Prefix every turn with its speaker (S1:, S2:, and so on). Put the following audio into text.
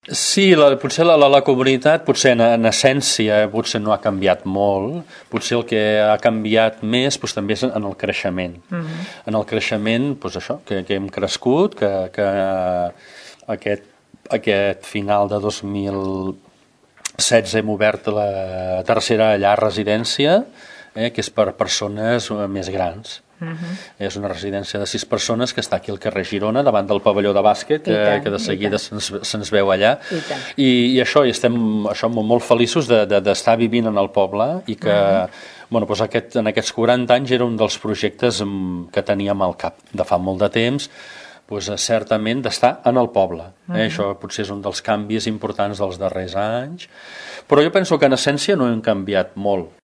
S1: Sí, potser la comunitat, potser en essència, potser no ha canviat molt. Potser el que ha canviat més també és en el creixement. En el creixement, doncs això, que hem crescut, que aquest final de 2016 hem obert la tercera llar residència, que és per persones més grans. És una residència de 6 persones que està aquí al carrer Girona, davant del pavelló de bàsquet, que de seguida se'ns veu allà. I això, i estem molt feliços d'estar vivint en el poble i que en aquests 40 anys era un dels projectes que teníem al cap de fa molt de temps, certament d'estar en el poble. Això potser és un dels canvis importants dels darrers anys, però jo penso que en essència no hem canviat molt.